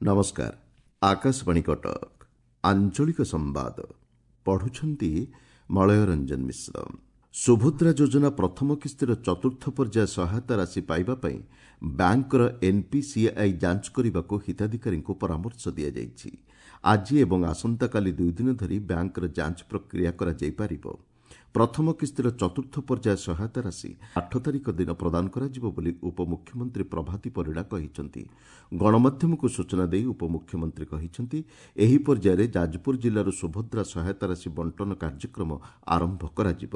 ନମସ୍କାର, ଆକାଶବାଣୀ କଟକ। ଆଞ୍ଚଳିକ ସମ୍ବାଦ ପଢୁଛନ୍ତି ମଳୟ ରଞ୍ଜନ ମିଶ୍ର। ସୁଭଦ୍ରା ଯୋଜନା ପ୍ରଥମ କିସ୍ତିର ଚତୁର୍ଥ ପର୍ଯ୍ୟାୟ ସହାୟତା ରାଶି ପାଇବା ପାଇଁ ବ୍ୟାଙ୍କର ଏନ୍ପିସିଆଇ ଯାଞ୍ଚ କରିବାକୁ ହିତାଧିକାରୀଙ୍କୁ ପରାମର୍ଶ ଦିଆଯାଇଛି। ଆଜି ଏବଂ ଆସନ୍ତାକାଲି 2 ଦିନ ଧରି ବ୍ୟାଙ୍କର ଯାଞ୍ଚ ପ୍ରକ୍ରିୟା କରାଯାଇପାରିବ। ପ୍ରଥମ କିସ୍ତିର ଚତୁର୍ଥ ପର୍ଯ୍ୟାୟ ସହାୟତା ରାଶି 8 ତାରିଖ ଦିନ ପ୍ରଦାନ କରାଯିବ ବୋଲି ଉପମୁଖ୍ୟମନ୍ତ୍ରୀ ପ୍ରଭାତୀ ପରିଡ଼ା କହିଛନ୍ତି। ଗଣମାଧ୍ୟମକୁ ସୂଚନା ଦେଇ ଉପମୁଖ୍ୟମନ୍ତ୍ରୀ କହିଛନ୍ତି, ଏହି ପର୍ଯ୍ୟାୟରେ ଯାଜପୁର ଜିଲ୍ଲାରୁ ସୁଭଦ୍ରା ସହାୟତା ରାଶି ବଣ୍ଟନ କାର୍ଯ୍ୟକ୍ରମ ଆରମ୍ଭ କରାଯିବ।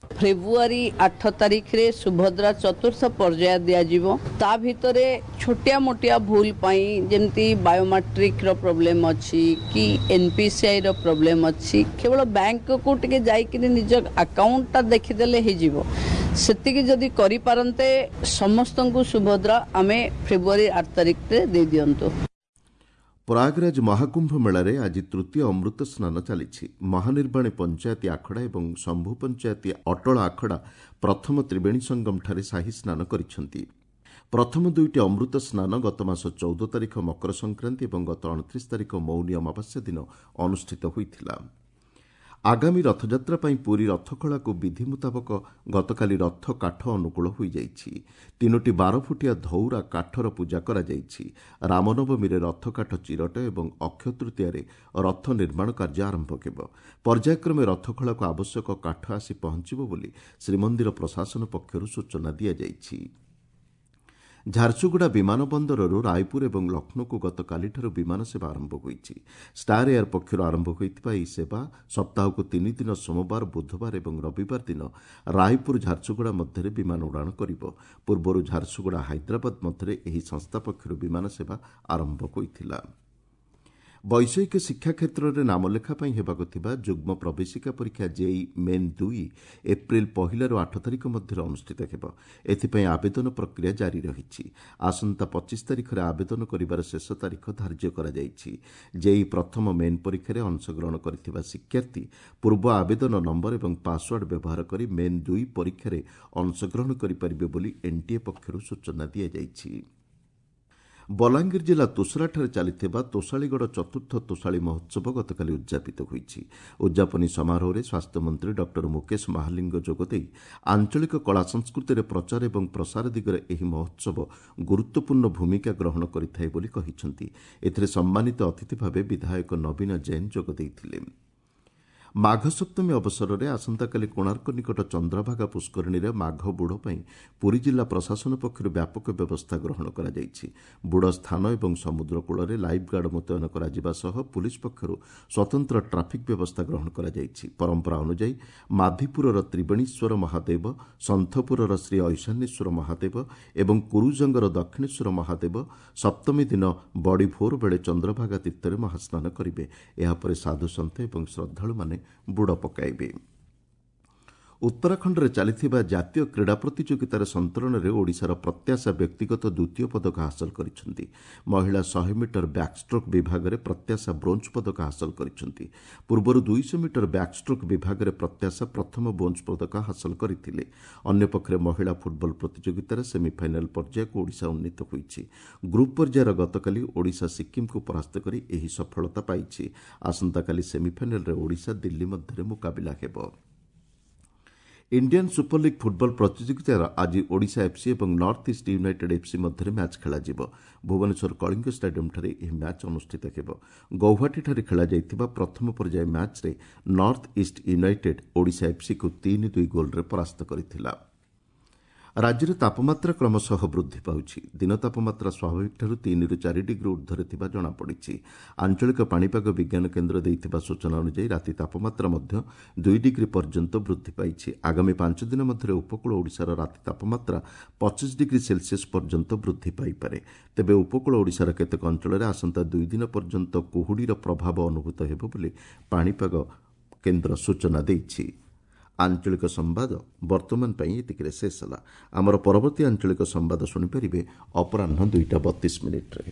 ଫେବୃଆରୀ 8 ତାରିଖରେ ସୁଭଦ୍ରା ଚତୁର୍ଥ ପର୍ଯ୍ୟାୟ ଦିଆଯିବ। ତା ଭିତରେ ଛୋଟିଆ ମୋଟିଆ ଭୁଲ ପାଇଁ, ଯେମିତି ବାୟୋମେଟ୍ରିକର ପ୍ରୋବ୍ଲେମ ଅଛି କି ଏନ୍ପିସିଆଇର ପ୍ରୋବ୍ଲେମ ଅଛି, କେବଳ ବ୍ୟାଙ୍କକୁ ଟିକେ ଯାଇକିରି ନିଜ ଆକାଉଣ୍ଟଟା ଦେଖିଦେଲେ ହେଇଯିବ। ସେତିକି ଯଦି କରିପାରନ୍ତେ, ସମସ୍ତଙ୍କୁ ସୁଭଦ୍ରା ଆମେ ଫେବୃଆରୀ 8 ତାରିଖରେ ଦେଇଦିଅନ୍ତୁ। ପ୍ରୟାଗରାଜ ମହାକୁମ୍ଭ ମେଳାରେ ଆଜି ତୃତୀୟ ଅମୃତ ସ୍ନାନ ଚାଲିଛି। ମହାନିର୍ବାଣୀ ପଞ୍ଚାୟତି ଆଖଡ଼ା ଏବଂ ଶମ୍ଭୁ ପଞ୍ଚାୟତି ଅଟଳ ଆଖଡ଼ା ପ୍ରଥମ ତ୍ରିବେଣୀ ସଙ୍ଗମଠାରେ ସାହି ସ୍ନାନ କରିଛନ୍ତି। ପ୍ରଥମ ଦୁଇଟି ଅମୃତ ସ୍ନାନ ଗତମାସ 14 ତାରିଖ ମକର ସଂକ୍ରାନ୍ତି ଏବଂ ଗତ 29 ତାରିଖ ମୌନୀ ଅମାବାସ୍ୟା ଦିନ ଅନୁଷ୍ଠିତ ହୋଇଥିଲା। ଆଗାମୀ ରଥଯାତ୍ରା ପାଇଁ ପୁରୀ ରଥଖଳାକୁ ବିଧି ମୁତାବକ ଗତକାଲି ରଥ କାଠ ଅନୁକୂଳ ହୋଇଯାଇଛି। ତିନୋଟି 12 ଫୁଟିଆ ଧଉରା କାଠର ପୂଜା କରାଯାଇଛି। ରାମନବମୀରେ ରଥକାଠ ଚିରଟ ଏବଂ ଅକ୍ଷୟ ତୃତୀୟାରେ ରଥ ନିର୍ମାଣ କାର୍ଯ୍ୟ ଆରମ୍ଭ ହେବ। ପର୍ଯ୍ୟାୟକ୍ରମେ ରଥଖଳାକୁ ଆବଶ୍ୟକ କାଠ ଆସି ପହଞ୍ଚିବ ବୋଲି ଶ୍ରୀମନ୍ଦିର ପ୍ରଶାସନ ପକ୍ଷରୁ ସୂଚନା ଦିଆଯାଇଛି। ଝାରସୁଗୁଡ଼ା ବିମାନ ବନ୍ଦରରୁ ରାୟପୁର ଏବଂ ଲକ୍ଷ୍ନୌକୁ ଗତକାଲିଠାରୁ ବିମାନ ସେବା ଆରମ୍ଭ ହୋଇଛି। ଷ୍ଟାର ଏୟାର ପକ୍ଷରୁ ଆରମ୍ଭ ହୋଇଥିବା ଏହି ସେବା ସପ୍ତାହକୁ 3 ଦିନ, ସୋମବାର, ବୁଧବାର ଏବଂ ରବିବାର ଦିନ ରାୟପୁର ଝାରସୁଗୁଡ଼ା ମଧ୍ୟରେ ବିମାନ ଉଡ଼ାଣ କରିବ। ପୂର୍ବରୁ ଝାରସୁଗୁଡ଼ା ହାଇଦ୍ରାବାଦ ମଧ୍ୟରେ ଏହି ସଂସ୍ଥା ପକ୍ଷରୁ ବିମାନ ସେବା ଆରମ୍ଭ ହୋଇଥିଲା। ବୈଷୟିକ ଶିକ୍ଷା କ୍ଷେତ୍ରରେ ନାମଲେଖା ପାଇଁ ହେବାକୁ ଥିବା ଯୁଗ୍ମ ପ୍ରବେଶିକା ପରୀକ୍ଷା ଜେଇଇ ମେନ୍ 2 ଏପ୍ରିଲ 1ରୁ 8 ତାରିଖ ମଧ୍ୟରେ ଅନୁଷ୍ଠିତ ହେବ। ଏଥିପାଇଁ ଆବେଦନ ପ୍ରକ୍ରିୟା ଜାରି ରହିଛି। ଆସନ୍ତା 25 ତାରିଖରେ ଆବେଦନ କରିବାର ଶେଷ ତାରିଖ ଧାର୍ଯ୍ୟ କରାଯାଇଛି। ଜେଇଇ ପ୍ରଥମ ମେନ୍ ପରୀକ୍ଷାରେ ଅଂଶଗ୍ରହଣ କରିଥିବା ଶିକ୍ଷାର୍ଥୀ ପୂର୍ବ ଆବେଦନ ନମ୍ବର ଏବଂ ପାସୱାର୍ଡ ବ୍ୟବହାର କରି ମେନ୍ 2 ପରୀକ୍ଷାରେ ଅଂଶଗ୍ରହଣ କରିପାରିବେ ବୋଲି ଏନ୍ଟିଏ ପକ୍ଷରୁ ସୂଚନା ଦିଆଯାଇଛି। ବଲାଙ୍ଗୀର ଜିଲ୍ଲା ତୋଷରାଠାରେ ଚାଲିଥିବା ତୋଷାଳିଗଡ଼ ଚତୁର୍ଥ ତୋଷାଳି ମହୋତ୍ସବ ଗତକାଲି ଉଦ୍ଯାପିତ ହୋଇଛି। ଉଦ୍ଯାପନୀ ସମାରୋହରେ ସ୍ୱାସ୍ଥ୍ୟମନ୍ତ୍ରୀ ଡକ୍ଟର ମୁକେଶ ମହାଲିଙ୍ଗ ଯୋଗଦେଇ ଆଞ୍ଚଳିକ କଳା ସଂସ୍କୃତିର ପ୍ରଚାର ଏବଂ ପ୍ରସାର ଦିଗରେ ଏହି ମହୋତ୍ସବ ଗୁରୁତ୍ୱପୂର୍ଣ୍ଣ ଭୂମିକା ଗ୍ରହଣ କରିଥାଏ ବୋଲି କହିଛନ୍ତି। ଏଥିରେ ସମ୍ମାନିତ ଅତିଥି ଭାବେ ବିଧାୟକ ନବୀନ ଜୈନ ଯୋଗ ଦେଇଥିଲେ। ମାଘ ସପ୍ତମୀ ଅବସରରେ ଆସନ୍ତାକାଲି କୋଣାର୍କ ନିକଟ ଚନ୍ଦ୍ରଭାଗା ପୁଷ୍କରିଣୀରେ ମାଘ ବୁଡ଼ ପାଇଁ ପୁରୀ ଜିଲ୍ଲା ପ୍ରଶାସନ ପକ୍ଷରୁ ବ୍ୟାପକ ବ୍ୟବସ୍ଥା ଗ୍ରହଣ କରାଯାଇଛି। ବୁଡ଼ ସ୍ଥାନ ଏବଂ ସମୁଦ୍ର କୂଳରେ ଲାଇଫ୍ ଗାର୍ଡ ମୁତୟନ କରାଯିବା ସହ ପୁଲିସ୍ ପକ୍ଷରୁ ସ୍ୱତନ୍ତ୍ର ଟ୍ରାଫିକ୍ ବ୍ୟବସ୍ଥା ଗ୍ରହଣ କରାଯାଇଛି। ପରମ୍ପରା ଅନୁଯାୟୀ ମାଧିପୁରର ତ୍ରିବେଣୀଶ୍ୱର ମହାଦେବ, ସନ୍ଥପୁରର ଶ୍ରୀ ଐଶାନ୍ୟେଶ୍ୱର ମହାଦେବ ଏବଂ କୁରୁଜଙ୍ଗର ଦକ୍ଷିଣେଶ୍ୱର ମହାଦେବ ସପ୍ତମୀ ଦିନ ବଡ଼ି ଭୋର ବେଳେ ଚନ୍ଦ୍ରଭାଗା ତୀର୍ଥରେ ମହାସ୍ନାନ କରିବେ। ଏହାପରେ ସାଧୁସନ୍ଥ ଏବଂ ଶ୍ରଦ୍ଧାଳୁମାନେ ବୁଡ଼ ପକାଇବେ। ଉତ୍ତରାଖଣ୍ଡରେ ଚାଲିଥିବା ଜାତୀୟ କ୍ରୀଡ଼ା ପ୍ରତିଯୋଗିତାରେ ସନ୍ତରଣରେ ଓଡ଼ିଶାର ପ୍ରତ୍ୟାଶା ବ୍ୟକ୍ତିଗତ ଦ୍ୱିତୀୟ ପଦକ ହାସଲ କରିଛନ୍ତି। ମହିଳା 100 ମିଟର ବ୍ୟାକ୍ଷ୍ଟ୍ରୋକ୍ ବିଭାଗରେ ପ୍ରତ୍ୟାଶା ବ୍ରୋଞ୍ଜ ପଦକ ହାସଲ କରିଛନ୍ତି। ପୂର୍ବରୁ 200 ମିଟର ବ୍ୟାକ୍ଷ୍ଟ୍ରୋକ୍ ବିଭାଗରେ ପ୍ରତ୍ୟାଶା ପ୍ରଥମ ବ୍ରୋଞ୍ଜ ପଦକ ହାସଲ କରିଥିଲେ। ଅନ୍ୟପକ୍ଷରେ ମହିଳା ଫୁଟବଲ ପ୍ରତିଯୋଗିତାରେ ସେମିଫାଇନାଲ୍ ପର୍ଯ୍ୟାୟକୁ ଓଡ଼ିଶା ଉନ୍ନୀତ ହୋଇଛି। ଗ୍ରୁପ୍ ପର୍ଯ୍ୟାୟରେ ଗତକାଲି ଓଡ଼ିଶା ସିକ୍କିମ୍କୁ ପରାସ୍ତ କରି ଏହି ସଫଳତା ପାଇଛି। ଆସନ୍ତାକାଲି ସେମିଫାଇନାଲ୍ରେ ଓଡ଼ିଶା ଦିଲ୍ଲୀ ମଧ୍ୟରେ ମୁକାବିଲା ହେବ। ଇଣ୍ଡିଆନ୍ ସୁପର ଲିଗ୍ ଫୁଟବଲ ପ୍ରତିଯୋଗିତାର ଆଜି ଓଡ଼ିଶା ଏଫ୍ସି ଏବଂ ନର୍ଥ ଇଷ୍ଟ ୟୁନାଇଟେଡ୍ ଏଫ୍ସି ମଧ୍ୟରେ ମ୍ୟାଚ୍ ଖେଳାଯିବ। ଭୁବନେଶ୍ୱର କଳିଙ୍ଗ ଷ୍ଟାଡିୟମ୍ଠାରେ ଏହି ମ୍ୟାଚ୍ ଅନୁଷ୍ଠିତ ହେବ। ଗୌହାଟୀଠାରେ ଖେଳାଯାଇଥିବା ପ୍ରଥମ ପର୍ଯ୍ୟାୟ ମ୍ୟାଚ୍ରେ ନର୍ଥ ଇଷ୍ଟ ୟୁନାଇଟେଡ୍ ଓଡ଼ିଶା ଏଫ୍ସିକୁ 3-2 ଗୋଲ୍ରେ ପରାସ୍ତ କରିଥିଲା। ରାଜ୍ୟରେ ତାପମାତ୍ରା କ୍ରମଶଃ ବୃଦ୍ଧି ପାଉଛି। ଦିନ ତାପମାତ୍ରା ସ୍ୱାଭାବିକଠାରୁ 3ରୁ 4 ଡିଗ୍ରୀ ଉର୍ଦ୍ଧ୍ୱରେ ଥିବା ଜଣାପଡ଼ିଛି। ଆଞ୍ଚଳିକ ପାଣିପାଗ ବିଜ୍ଞାନ କେନ୍ଦ୍ର ଦେଇଥିବା ସୂଚନା ଅନୁଯାୟୀ ରାତି ତାପମାତ୍ରା ମଧ୍ୟ 2 ଡିଗ୍ରୀ ପର୍ଯ୍ୟନ୍ତ ବୃଦ୍ଧି ପାଇଛି। ଆଗାମୀ 5 ଦିନ ମଧ୍ୟରେ ଉପକୂଳ ଓଡ଼ିଶାର ରାତି ତାପମାତ୍ରା 25 ଡିଗ୍ରୀ ସେଲସିୟସ୍ ପର୍ଯ୍ୟନ୍ତ ବୃଦ୍ଧି ପାଇପାରେ। ତେବେ ଉପକୂଳ ଓଡ଼ିଶାର କେତେକ ଅଞ୍ଚଳରେ ଆସନ୍ତା 2 ଦିନ ପର୍ଯ୍ୟନ୍ତ କୁହୁଡ଼ିର ପ୍ରଭାବ ଅନୁଭୂତ ହେବ ବୋଲି ପାଣିପାଗ କେନ୍ଦ୍ର ସୂଚନା ଦେଇଛି। ଆଞ୍ଚଳିକ ସମ୍ବାଦ ବର୍ତ୍ତମାନ ପାଇଁ ଏତିକିରେ ଶେଷ ହେଲା। ଆମର ପରବର୍ତ୍ତୀ ଆଞ୍ଚଳିକ ସମ୍ବାଦ ଶୁଣିପାରିବେ ଅପରାହ୍ନ 2ଟା 32 ମିନିଟ୍ରେ।